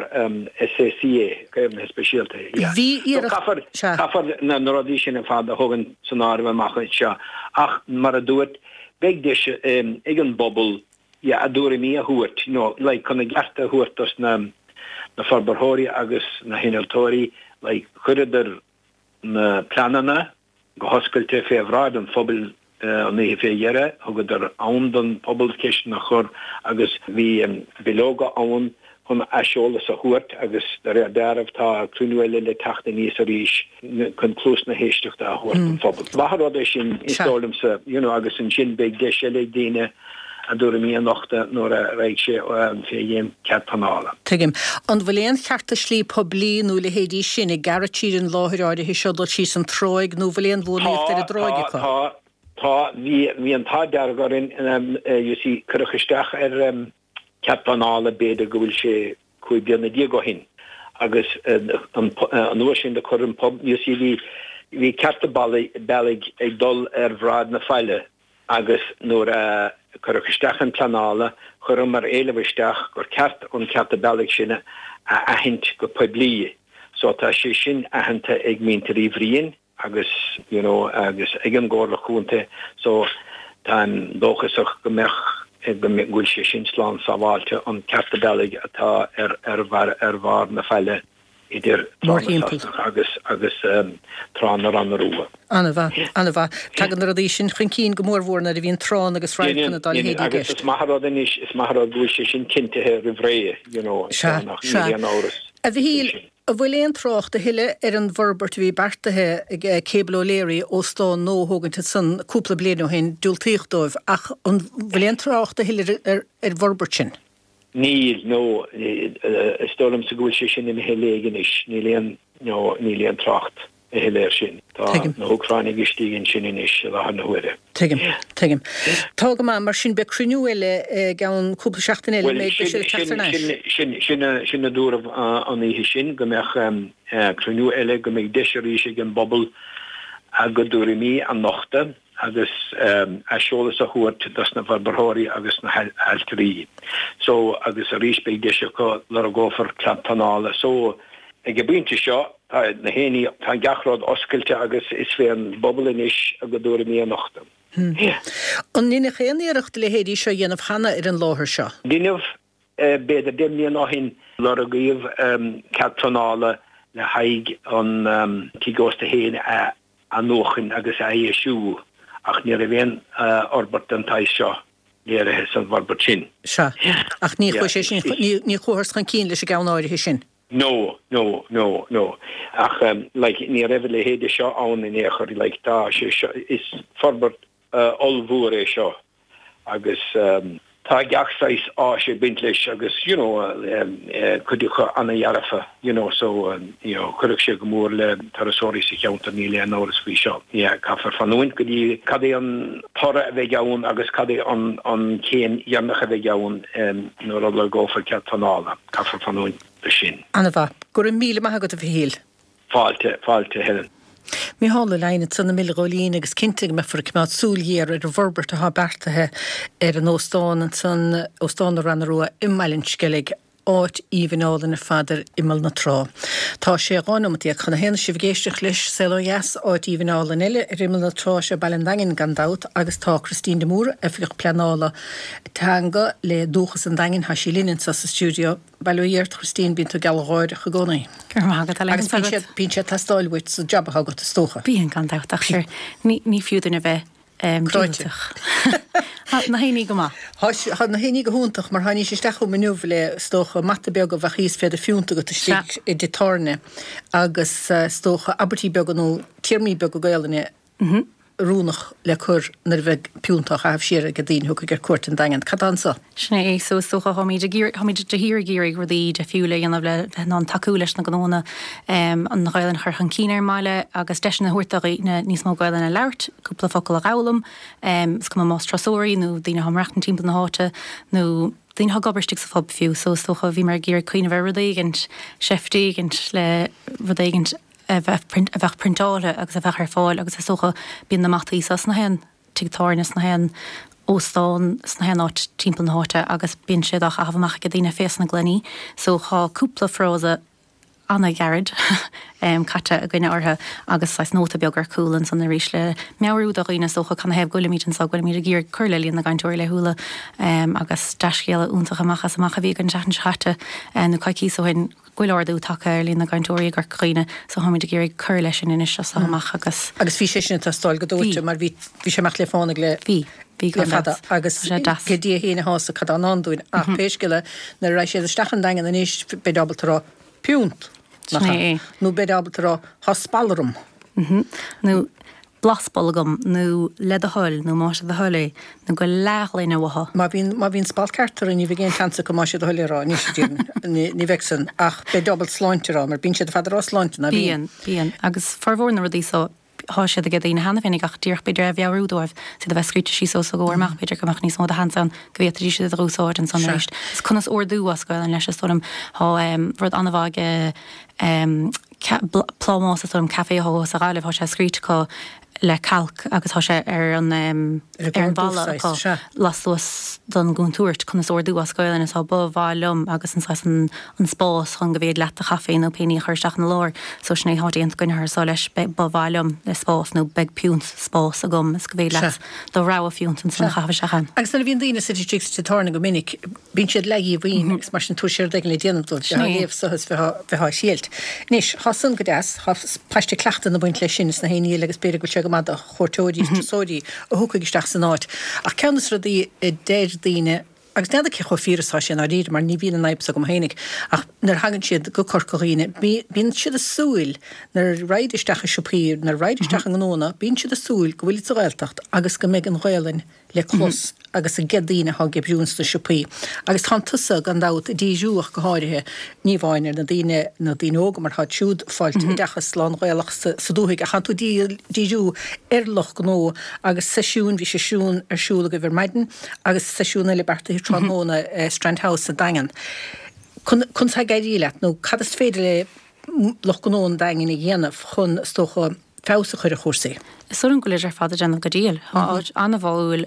SAC é, caomhnaithe speisialta é, yeah. Bhí So iarracht, caithfear, sea. caithfear na na rudaí sin ar fad a thógaint san áireamh amach anseo ach mar a dúirt, beidh deis ag an bpobal yeah a dtuairimí a thabhairt, you know, like chun a gcearta a thabhairt dos na na forbarthóirí agus na hinnealtóirí, like chuireadar na pleananna go hoscailte fé bhráid an phobail an oíche fé dheireadh, thugadar am don phobal ceisteanna a chur agus bhí bileoga ann chun aiseolas a thabhairt agus de réir dealraimh tá cruinniú eile le teacht aníos arís chun cluas na héisteachta a thabhairt don phobal. Maith an rud é sin, is dóigh liomsa, you know, agus ansin beidh deis eile ag daoine a dtuairimí a nochtadh nuair a raghaidh sé fé dhéin cead pleanála. Tuigim. An bhfuil aon chearta slí poiblí nó a leithéidí sin ag gearradh tríd an láthair áirithe seo dul síos an tráigh nó bhfuil aon bhuanaíocht ar an Tá, dtráigh tá, acu? tá, tá. Bhí, bhí an t-ádh dearg orainn, you see, cuireadh isteach ar cead pleanála b'fhéidir go bhfuil sé cúig bliana déag ó shin agus an, an uair sin do chuir an pobal, you see, bhí, bhí cearta bealaigh ag dul ar bhráid na faille agus nuair a cuireadh isteach an pleanála, chuireamar éileamh isteach gur ceart an cearta bealaigh sin a aithint go poiblí. So tá sé sin aitheanta ag muintir Uí Bhriain agus you know agus ag an gComhairle Chontae so táim dóchasach go mbeadh go bhfuil sé sin slán sábháilte an cearta bealaigh atá ar ar ar bharr na faille idir Trá na Sasanach agus agus Trá na Ranna Rua. An-mhaith, an-mhaith. Tagann na rudaí sin chun cinn go mórmhór nuair a bhíonn tránna agus radharcanna dá leithéidí i Agus gceist. is maith an rud anois, is maith an rud go bhfuil sé sin cinntithe roimh ré, you know, Sea, nach sea. níl aon amhras A Mhichíl, faoi sin. an bhfuil aon trácht a thuilleadh ar an bhforbairt a bhí beartaithe ag Cable O'Leary óstán nua a thógaint ansan cúpla bliain ó shin, diúltaíodh dóibh, ach an bhfuil aon trácht a thuilleadh ar ar an bhforbairt sin? Níl, no, is dóigh liomsa go bhfuil sé sin imithe i léig anois, níl aon, no, níl aon trácht a thuilleadh air sin. Tá Tuigim. na hÚcránaigh istigh ansin anois i láthair na huaire. Tuigim, tuigim. Tá go maith, mar sin beidh cruinniú eile i gceann cúpla seachtain eile, Bhuel, mbeidh sin, siad ag teacht sin, thar n-ais. sin, sin, sin a, sin a dúradh an oíche sin, go mbeadh cruinniú eile, go mbeidh deis arís ag an bpobal a gcuid tuairimí a nochtadh agus aiseolas a thabhairt dos na forbarthóirí agus na hailtirí. So, agus arís beidh deis acu, lorgófar cead pleanála. So, ag an bpointe seo, tá na héinní, tá gach rud oscailte agus is fén bpobal anois a gcuid tuairimí a nochtadh. Yeah. An ndeineadh aon iarracht a leithéidí seo a dhéanamh cheana ar an láthair seo? Deineadh, b'fhéidir deich mbliana ó shin, lorgaíodh cead pleanála le haghaidh an tigh ósta féin a athnuachan agus a athdheisiú ach ní raibh aon fhorbairt den tsaghas seo léirithe san bhforbairt sin. Sea. Ach ní chuaigh sé sin, ní chuathas chun cinn leis an gceann áirithe sin. No, no, no, no. Ach like ní raibh a leithéide seo ann in aon chor, like tá sé seo, is forbairt ollmhór é seo agus tá gach saghas áis ag baint leis agus you know cuid acu ana-dhearfa you know so you know chuirfeadh sé go mór le turasóirí sa cheantar níl aon amhras faoi seo. Yeah, caithfear fanúint go dtí cad é an toradh a bheidh ann agus cad é an an chéim dheireanach a bheidh ann nuair a lorgófar cead pleanála. Caithfear fanúint do sin. Ana-mhaith. Go raibh míle maith agat a Mhichíl. Fáilte, fáilte Helen. Micheál Ó Leidhin ansan i mBaile Ghóilín agus cinnte go mbeifear ag coimeád súil ghéar ar an bhforbairt atá beartaithe ar an óstán ansan, Óstán na Ranna Rua i mBaile an Sceilg, áit aoibhinn álainn ar fad ar imeall na trá. Tá sé dhá nóimeat déag chun a haon sibh ag éisteacht leis Saol Ó Dheas, áit aoibhinn álainn eile ar imeall na trá is ea Baile an Daingin gan dabht agus tá Christine de Mórdha, Oifigeach Pleanála Teanga le Dúchas an Daingin, tá sí linn anseo sa stiúideo. Bail ó Dhia ort, a Christine, bíonn tú gealgháireach i gcónaí. Go raibh maith agat, Helen. Agus bíonn sé, bíonn sé ag teastáil uait sa jab atá agat, is dócha. Bíonn, gan dabht, ach sure, ní, ní fiú duine bheith Cráite. diúltach. Tá na héinní go maith. Tá, tá na héinní go hiontach mar tháinís isteach chugam inniu le, is dócha, mata beag a bheadh thíos fé do phiúnt agat istigh i dtigh tábhairne agus, is dócha, abairtí beaga nó téarmaí beaga Gaelainne oiriúnach le cur nuair a bheidh piúnt á chaitheamh siar ag daoine a thiocfaidh ar cuairt an Daingean. Cad tá anso? Sin é, so is dócha táimid ag iarraidh, táimid de shíor ag iarraidh rudaí difriúla a dhéanamh le bheith in ann tacú leis na gnónna, an Ghaelainn a chur chun cinn ar an mbaile agus deiseanna a thabhairt do dhaoine níos mó Gaelainn a labhairt, cúpla focal a dh'fhoghlaim, is cuma más turasóirí nó daoine atá ag maireachtaint timpeall na háite nó daoine atá ag obair istigh sa phub fiú. So is dócha bhíomar ag iarraidh cuimhneamh ar rud éigint, seift éigint le rud éigint, a bheith a bheadh priontáilte agus a bheadh ar fáil agus is dócha bíonn na mataí seo sna haon tigh tábhairne, sna haon óstán, sna haon áit timpeall na háite agus bíonn siad á chaitheamh amach ag daoine fés na gloiní so tá cúpla frása ana-ghairid caite againne orthu agus saghas nóta beag ar cúl ansan arís le meabhrú do dhaoine is dócha canathaobh go bhfuilimid anseo, go bhfuilimid ag iarraidh cur le líon na gcainteoirí laethúla agus dea-scéala iontach amach as amach a bhí againn an tseachtain seo chaite nó coicíos ó shin. go bhfuil ardú tagtha ar líon na gcainteoirí i gCorca Dhuibhne so táimid ag iarraidh cur leis sin anois as seo amach agus. Agus bhí sé sin ag teastáil go dóite mar bhí bhí sé amach le fánaidh le Bhí, bhí le gan fada dabht. agus Tá sé deas. pé Dia féin a shásamh cad tá i ndán dúinn ach pé scéal é nuair a raghaidh siad isteach an Daingean anois beid ábalta a rá piúnt nach Sin ea? é é. Nó beid ábalta a rá tá spalradh orm. Nó blas bolg agam, nó le do thoil, nó más é do thoil é, nó go leathghloine uathu. Má bhíonn, má bhíonn spalp ceart orthu ní bheidh aon tseans acu más é do thoil é a rá, anois a déarfainn, ní, ní bheidh san, ach beid ábalta sláinte a rá, mar bíonn siad ar fad ag rá sláinte, ná bíonn? Bíonn, bíonn. Agus formhór na rudaí so, thá siad ag daoine cheana féinig ach díreach b'fhéidir é a mheabhrú dóibh, is iad a bheith scríte síos os a gcomhair amach, b'fhéidir go mbeadh níos mó de sheans ann go bhféadfaidís iad a dh'úsáid ansan Sea. arís. Is conas ordú as Gaelainn leis, is dóigh liom, thá rud an-mhaith ag Plámás is dóigh liom café atá thuas sa Ghaillimh, thá sé scríte acu le cailc agus thá sé ar an ar an bhalla acu lastuas don gcontúirt conas ordú as Gaelainn is thá ba mhaith liom agus an saghas an an spás chun go bhféad leat do chaife nó pé ní a chur isteach ina lár so sin é thá déanta againn thar so leis beidh ba mhaith liom le spás nó beidh piúnt spás agam is go bhféad leat do rogha fiúnt ansan a chaitheamh isteach ann. Agus nuair a bhíonn daoine suite istigh sa tigh tábhairne go minic Bíonn siad leathdhíomhaoin agus mar sin tabhair sé rud éigin le déanamh dóibh, bheith á léamh so is bheith á thriailt. Anois, thá san go deas, thá paiste cleachtaidh ag baint leis sin is na haon ní eile agus b'fhéidir go bhfuil sé go maith do chuairteoirí is turasóirí a thiocfaidh isteach san áit. Ach ceann de na rudaí a deir daoine, agus n'fheadar cé chomh fíor is atá sé i ndáiríre mar ní bhíonn an fhadhb so agam fhéinig, ach nuair a thagann siad go Corca Dhuibhne, bíonn siad ag súil, nuair a raghaid isteach i siopaí, nuair a raghaid isteach i ngnónna, bíonn siad ag súil go bhfuilid sa Ghaeltacht agus go mbeidh an Ghaelainn le clos agus ag daoine atá ag oibriú ins na siopaí. Agus tánn tusa, gan dabht, ag díriú ach go háirithe, ní amháin ar na daoine, na daoine óga mar táid siúd ag fáilt oideachas lán-Ghaelach sa, sa dúthaigh, ach tánn tú ag díriú ar lucht gnó agus seisiún, bhí seisiún ar siúl agaibh ar maidin agus seisiún eile beartaithe tráthnóna i Strand House sa Daingean. Conas tá ag éirí leat nó cad is féidir le lucht gnó an Daingin a dhéanamh chun, is dócha, feabhas a chur ar chúrsaí. Is dóigh liom go bhfuilid ar fad ag déanamh go diail. Tá áit an-bháúil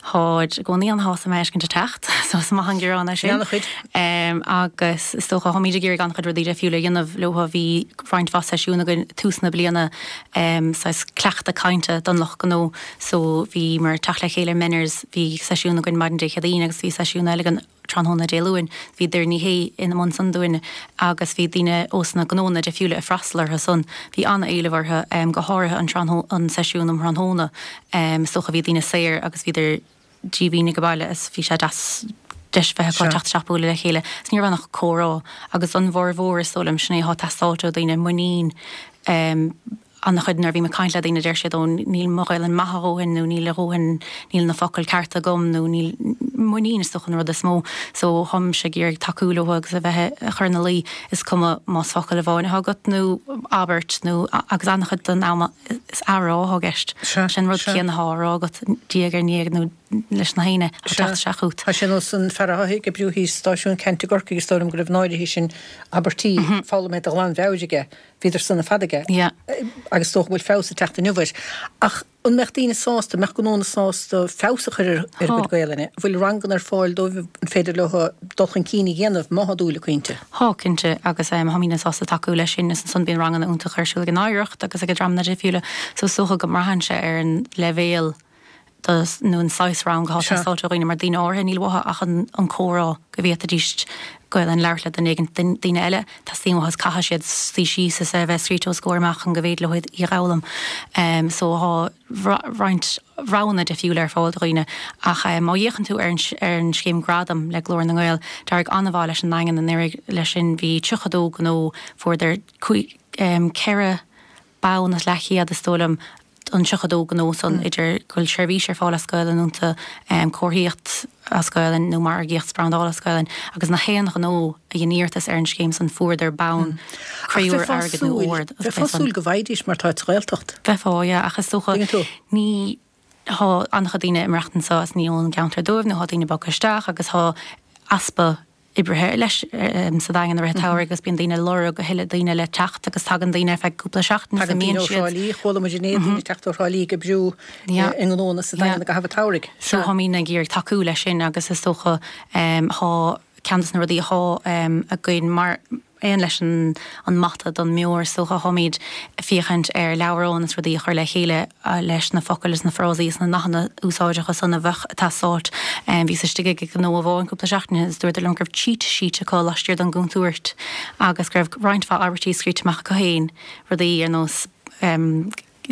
Tháid i gcónaí an-shásta mé a fheiscint ag teacht, so is maith an gearán é sin. An-chuid. Agus is dócha, táimid ag iarraidh an-chuid rudaí difriúla a dhéanamh leo. Bhí roinnt mhaith seisiún againn tús na bliana, saghas cleachtadh cainte don lucht gnó. So bhíomar ag teacht le chéile i Meners, bhí seisiún againn maidin Dé Céadaoin agus bhí seisiún eile againn tráthnóna Dé Luain. Bhí Doireann Ní Shé ina mbun san dúinn agus bhí daoine ós na gnónna difriúla ag freastal orthu san. Bhí an-éileamh orthu, go háirithe an tráthnó, an seisiún um thráthnóna. Is dócha bhí daoine saor agus bhíodar díomhaoin ag baile is bhí sé deas deis bheith acu teacht isteach bualadh le chéile. Is ní raibh ann ach comhrá agus an mhórmhór is dóigh liom sin é atá ag teastáilt ó dhaoine, muinín. An-chuid nuair a bhím ag caint le daoine deir siad ó níl mo Ghaelainn maith a dhóthain nó níl a dhóthain, níl na focail cearta agam nó níl, muinín is dócha an rud is mó. So tháimse ag iarraidh tacú leo agus a bheith a chur ina luí, is cuma más focal amháin atá agat nó abairt nó agus an-chuid den am is athrá atá i gceist. Sin rud céanna atá á rá agat diaidh ar ndiaidh nó leis na héinne ag teacht isteach chugat. Tá sé nós an fear atá ag oibriú thíos stáisiún Ceannt i gCorcaigh is dóigh liom go raibh an áirithe sin abairtí foghlamtha de ghlanmheabhair aige. Bhíodar san le fada aige. Yeah. Agus is dócha go bhfuil feabhas ag teacht inniu air. Ach an mbeadh daoine sásta, an mbeadh gnónna sásta feabhas a chur ar a gcuid Gaelainne? An bhfuil ranganna ar fáil dóibh? An féidir leo dul chun cinn a dhéanamh má thá dúil acu inti? Thá, cinnte, agus tháimidne sásta tacú leis sin. Is ansan bíonn ranganna iontacha ar siúl ag an Oidhreacht agus ag dreamanna difriúla. So is dócha go mbraitheann sé ar an leibhéal do nó an saghas rang atá ag teastáilt ó dhaoine mar daoine áirithe níl uathu ach an an comhrá go bhféadfaidís Gaelainn a labhairt le duine éigin daoine eile teastaíonn uathu is caithfidh siad suí síos is é a bheith scríte os a gcomhair amach chun go bhféidir leo í a dh'fhoghlaim. So thá roinnt roghanna difriúla ar fáil do dhaoine ach má fhéachann tú ar an ar an scéim Gradam le Glór na nGael d'éirigh an-mhaith leis an nDaingean anuraidh leis sin bhí tríocha dó gnó fuaireadar ceithre bonn is leathchéad is dóigh liom an tríocha dó gnó san, idir go bhfuil seirbhís ar fáil as Gaelainn iontu, comharthaíocht as Gaelainn nó margaíocht 's brandáil as Gaelainn, agus na haon ghnó a dhein iarratas ar an scéim san fuaireadar bonn Ach créúr bheifeá airgid nó súil, óir agus bheifeá bheith san. súil go bhfaighidís mar táid sa Ghaeltacht. Bheifeá, yeah, ach is dócha Tuigeann tú? ní, thá an-chuid daoine ag maireachtaint anso is ní ón gceantar dóibh nó thá daoine bogtha isteach agus thá easpa oibrithe leis sa Daingean i rith an tsamhraidh agus bíonn daoine ag lorg a thuilleadh daoine le teacht agus tagann daoine ar feadh cúpla seachtain is Tagann daoine imíonn ó Thrá siad. Lí, chuala muid inné daoine ag teacht ó Thrá Lí ag oibriú i ngnónna sa Daingean i gcaitheamh an tsamhraidh. So táimid ag iarraidh tacú leis sin agus is dócha thá ceann des na rudaí athá againn mar aon leis an an mata don mbeoir is dócha táimid ag féachaint ar leabhrán is rudaí a chur le chéile leis na focail is na frásaí is na nathanna úsáideacha san a bheadh ag teastáilt. Bhíos istigh ag gnó amháin cúpla seachtain ó shin is dúradar liom go raibh cheat sheet acu laistiar den gcontúirt agus go raibh roinnt mhaith abairtí scríte amach acu féin, rudaí ar nós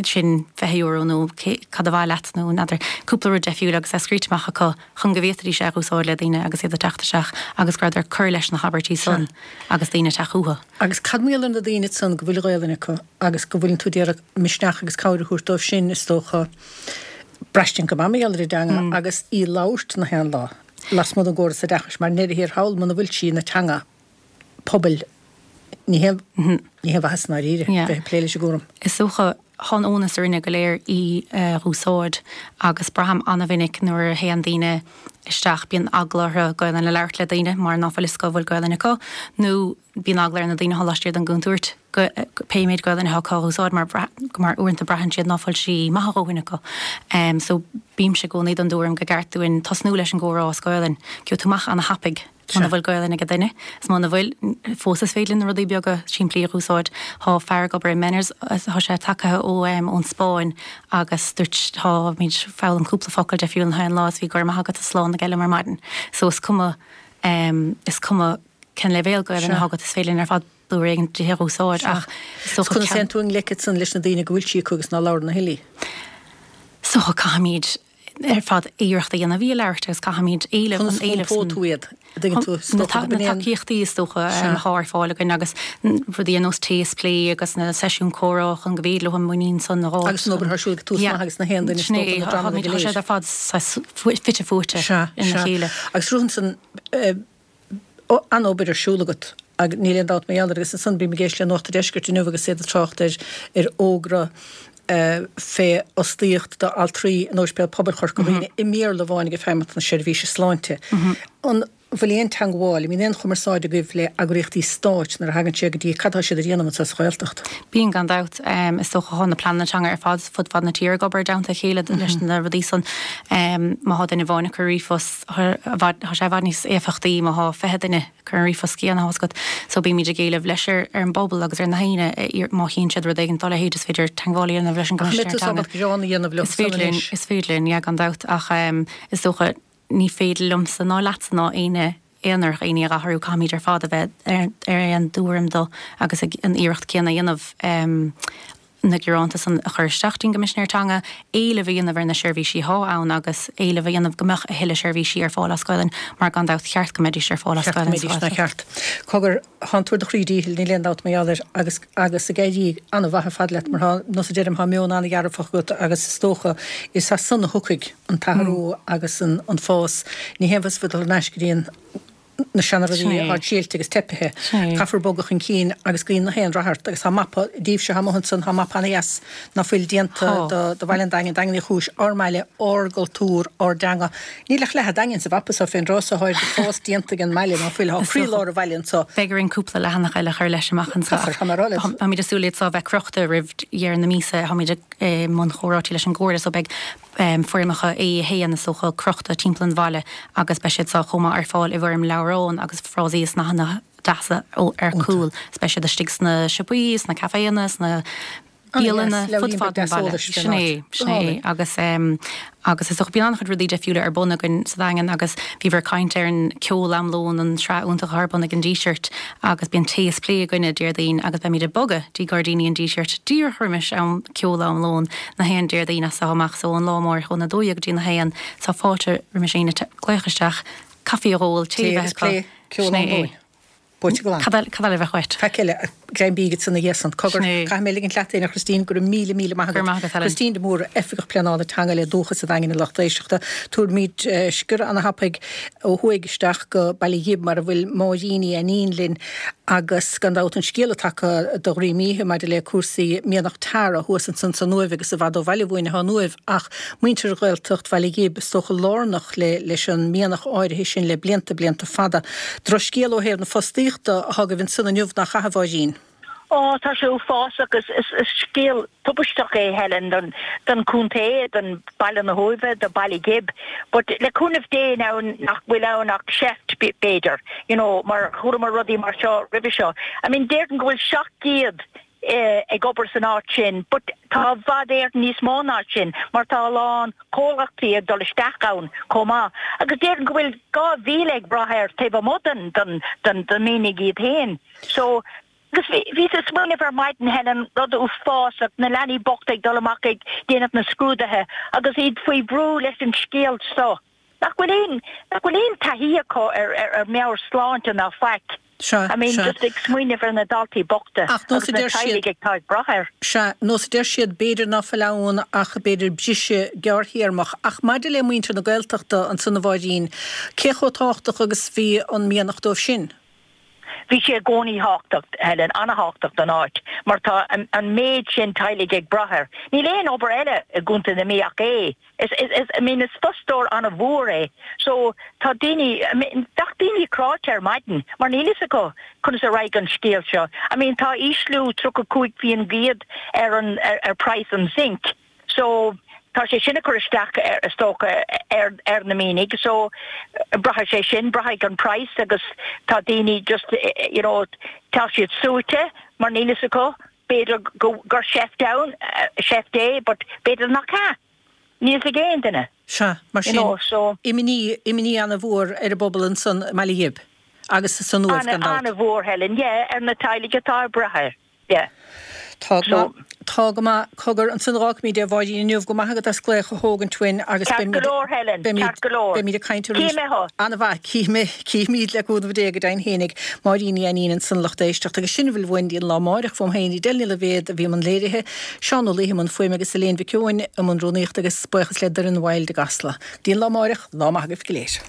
sin fiche euro nó cad ba mhaith leat nó n'fheadar, cúpla rud deifriúil agus é scríte amach acu chun go bhféadfaidís é a úsáid le daoine agus iad ag teacht isteach agus go rabhadar ag cur leis na habairtí san agus daoine ag teacht chucu. Agus cad mar gheall ar na daoine san go bhfuil Gaelainn acu agus go bhfuileann tú d'iarraidh misneach agus cabhair a thabhairt dóibh sin is dócha braistint go maith mar gheall ar an dteanga agus í labhairt na haon lá lasmuigh den gcóras oideachais mar i ndeireadh thiar thall muna bhfuil sí ina teanga pobail ní haon ní haon mhaitheas i ndáiríre bheith ag plé leis an gcúram. Is dócha thá an onus orainne go léir í a dh'úsáid agus braithim an-mhinic nuair a théann daoine isteach bíonn eagla orthu Gaelainn a labhairt le daoine mar ná fuil fhios acu an bhfuil Gaelainn acu nó bíonn eagla ar na daoine athá laistiar den gcontúirt pé méid Gaelainn athá acu a dh'úsáid mar mar uaireanta braitheann siad ná fuil sí maith a dhóthain acu. So bímse i gcónaí den dtuairim go gceart dúinn tosnú leis an gcomhrá as Gaelainn. Gheobhaidh tú amach ana-thapaidh. Muna bhfuil Gaelainn ag duine, is muna bhfuil, fós is féidir linn na rudaí beaga simplí a dh'úsáid. Thá fear ag obair i Meners, thá sé tagtha ó ón Spáinn agus dúirt táimid foghlaim cúpla focal deifriúil na haon lá is bhí go raibh maith agat is slán aige liom ar maidin. So is cuma, is cuma cén leibhéal Gaelainn athá agat is féidir linn ar fad blúire éigin di a dh'úsáid ach is dócha Conas a théann tú i ngleic ansan leis na daoine go bhfuil sí acu agus ná labhrann a thuilleadh? Is dócha caithfimid ar fad iarracht a dhéanamh í a labhairt agus caithfimid éileamh Conas an éileamh a iompóidh tú iad, a dtuigeann tú, is Na dócha gurb in é an. tacaíochtaí is dócha Sea. athá ar fáil againn agus rudaí ar nós Tae is Plé agus na seisiúin comhrá chun go bhféidir leo an muinín san a dh'fháilt Agus an obair atá ar siúl ag Tús Yeah. Maith agus na haon duine is Sin dócha é, na dreamanna tá go siad léir. ar fad saghas fite fuaite Sea, ina sea. chéile. Agus Ruth ansan, an-obair ar siúl agat ag níl aon dabht mar gheall air agus ansan bím ag éisteacht le Nuacht an Deiscirt inniu agus iad ag trácht ar ar fhógra fé fhostaíocht d'altraí in Ospidéal Pobail Chorca Dhuibhne i mBéarla amháin ag Feidhmeannacht na Seirbhíse Sláinte. An bhfuil aon teagmháil, an mbíonn aon chumarsáid agaibh le eagraíochtaí stáit nuair a thagann sé go dtí cad tá siad a dhéanamh anseo sa Ghaeltacht? Bíonn gan dabht. Is dócha tá na pleananna teanga ar fad fud fad na tíre ag obair i dteannta a chéile leis na rudaí san. Má thá duine amháin ag cur ríomhphost, tá sé i bhfad níos éifeachtaí má thá fiche duine ag cur an ríomhphost céanna thá 's agat. So bímid ag éileamh leis ar an bpobal agus ar na haoinne má chíonn siad rud éigin dá leithéid is féidir teagmháil a dhéanamh leis an gCoimisinéir Teanga. Is féidir linn, is féidir linn, yeah, gan dabht ach is dócha ní féidir liomsa ná leatsa ná éinne aonair éinne a athrú, caithfimid ar fad a bheith ar aon tuairim dó agus an iarracht céanna a dhéanamh na gearánta san a chur isteach dtí'n gCoimisinéir Teanga, éileamh a dhéanamh ar na seirbhísí athá ann agus éileamh a dhéanamh go mbeadh a thuilleadh seirbhísí ar fáil as Gaelainn mar gan dabht cheart go mbeidís ar fáil as Gaelainn sa Ghaeltacht. Ceart. Cogar, thá an tú ar do chroí díchill, níl aon dabht mar gheall air agus agus ag éirí an-mhaith ar fad leat mar thá, nós a deirim, thá meon an-dhearfach agat agus is dócha is as san a thiocfaidh an t-athrú agus an an fás. Ní haon mhaith dul thar n-ais go dtí an na seanrudaí atá séilte agus teipithe. Caithfear bogadh chun cinn agus guím na haon rath ort agus tá mapa daoibhse atá amuigh ansan, tá mapa ana-dheas ná fuil déanta do do Bhaile an Daingin, Daingean Uí Chúis, ár mbaile, ár gcultúr, ár dteanga. Níl ach leath an Daingin sa mhapa seo fén dtráth seo, tá fás déanta ag an mbaile ná fuil, tá croílár an bhaile anso. Beidh orainn cúpla leathanach eile a chur leis amach anseo. Caithfear, tá mé ag rá leat. Táimid ag súil iad seo a bheith crochta roimh dheireadh na míosa, táimid i mbun chomhráití leis an gComhairle so beidh foirmeacha A a haon is dócha crochta timpeall an bhaile agus beidh siad seo chomh maith ar fáil i bhfoirm leabhrán agus frásaí is nathanna deasa ar cúl. Is beidh siad istigh sna siopaí, sna caiféanna, sna bialanna, fud fad an bhaile. Sin é, sin é. Agus agus is dócha bíonn an-chuid rudaí deifriúla ar bun againn sa Daingean agus bhíobhair ag caint ar an Ceol Am Lóin, an tsraith iontach atá ar bun ag an Díseart agus bíonn tae is plé againne Déardaoin agus beimid ag bogadh dtí Gairdíní an Dísirt díreach roimis am Ceol Am Lóin na haon Déardaoin as seo amach so ón lá amárach óna dó dhéag go dtí na haon tá fáilte roimis éinne glaoch isteach, caife a dh'ól, tae a Tae bheith agus plé, acu. Ceol Sin Am é. Lóin. Buaite glan. Cad eile, cad eile a bheadh uait? Faic eile, greim bídh ansan ina dhiaidh san. Cogar, Sin é. caithfidh mé ligint leat féin, a Christine, go raibh míle, míle maith Go raibh agat. maith agat, Helen. Christine de Mórdha, Oifigeach Pleanála Teanga le Dúchas sa Daingean a lucht éisteachta. Tabharfaimid sciorradh ana-thapaidh ó thuaidh isteach go Baile Ghib mar a bhfuil Máirín Ní Ainnín linn agus gan dabht an scéal atá tagtha de dhroim oíche maidir le cúrsaí Mianach Tara thuas ansan san Uaimh agus i bhfad ó bhaile uainn atá an Uaimh ach muintir Ghaeltacht Bhaile Ghib is dócha lárnach le leis an mianach áirithe sin le blianta blianta fada. Drochscéal ó thaobh na fostaíochta atá agaibh ansan inniu nach ea a Mháirín? Ó, tá sé uafásach. Is is scéal tubaisteach é, Helen, don don chontae, don Baile na hUaimhe, do Baile Ghib. But le cúnamh Dé now nach bhfuil ann ach seift b'fhéidir, you know, mar chualamar rudaí mar seo roimhe seo. I mean, déarfainn go bhfuil seacht gcéad ag obair san áit sin, but tá i bhfad Éireann níos mó ná sin mar tá a lán comhlachtaí ag dul isteach ann chomh maith. Agus déarfainn go bhfuil dhá mhíle ag brath air taobh amuigh den den den den mianach iad féin. So, agus bhí bhíos ag smaoineamh ar maidin Helen, rud uafásach, na leanaí bochta ag dul amach ag déanamh na scrúduithe agus iad faoi bhrú leis an scéal seo. Nach bhfuil aon, nach bhfuil aon taithí acu ar, ar, ar meabhairshláinte ná faic. Sea, I mean, sea. just ag smaoineamh ar na daltaí bochta Ach nós agus a na deir siad, teaghlaigh atá ag brath air. sea, nós a deir siad, b'fhéidir ná fuil ann ach b'fhéidir briseadh gearrthéarmach. Ach maidir le muintir na Gaeltachta ansan a Mháirín, cé chomh tábhachtach agus bhí an mianach dóibh sin? Bhí sé i gcónaí tábhachtach, Helen, an-thábhachtach don áit, mar tá an méid sin teaghlaigh ag brath air. Níl aon obair eile i gContae na Mí ach é. Is, is, is, I mean, is fostóir an-mhór é. So, tá daoine, I mean, bheadh daoine cráite ar maidin mar níl fhios acu conas a raghaidh an scéal seo. I mean, tá ísliú tríocha cúig faoin gcéad ar an, ar, ar praghas an zinc. So, tá sé sin ag cur isteach ar, is dócha, ar, ar na mianaigh. So, braithfidh sé sin, braithfidh an praghas agus tá daoine just, you know, tá siad suaite mar níl fhios acu, b'fhéidir go, gur seift ann, seift é, but b'fhéidir nach ea. Níl fhios ag aon duine. Sea, mar You sin, know, so. imní, imní ana-mhór ar an bpobal ansan i mBaile Ghib agus san Uaimh, Ana, gan dabht. ana-mhór, Helen, yeah, ar na teaghlaigh atá ag brath air, yeah. Tá go So. maith, tá go maith. Cogar, ansan a dh'fhágfaimid é a Mháirín inniu, go maith agat as glaoch a thógaint uainn agus Ceart go beimid, leor, Helen, beimid, ceart go leor. beimid ag caint arís. Cífidh mé thú. Ana-mhaith, cífidh mé, cífimid le cúnamh Dé go deimhin fhéinig. Máirín Ní Ainnín ansan a lucht éisteachta agus sin a bhfuil uainn dtí an lá amáireach fúm féin, Edel Ní Loibhéad a bhí i mbun léirithe, Seán Ó Laoithe i mbun fuaime agus Elaine Mhic Eoin i mbun rúnaíochta agus buíochas le Doireann Wilde i gCasla. Go dtí an lá amáireach, lá maith agaibh go léir.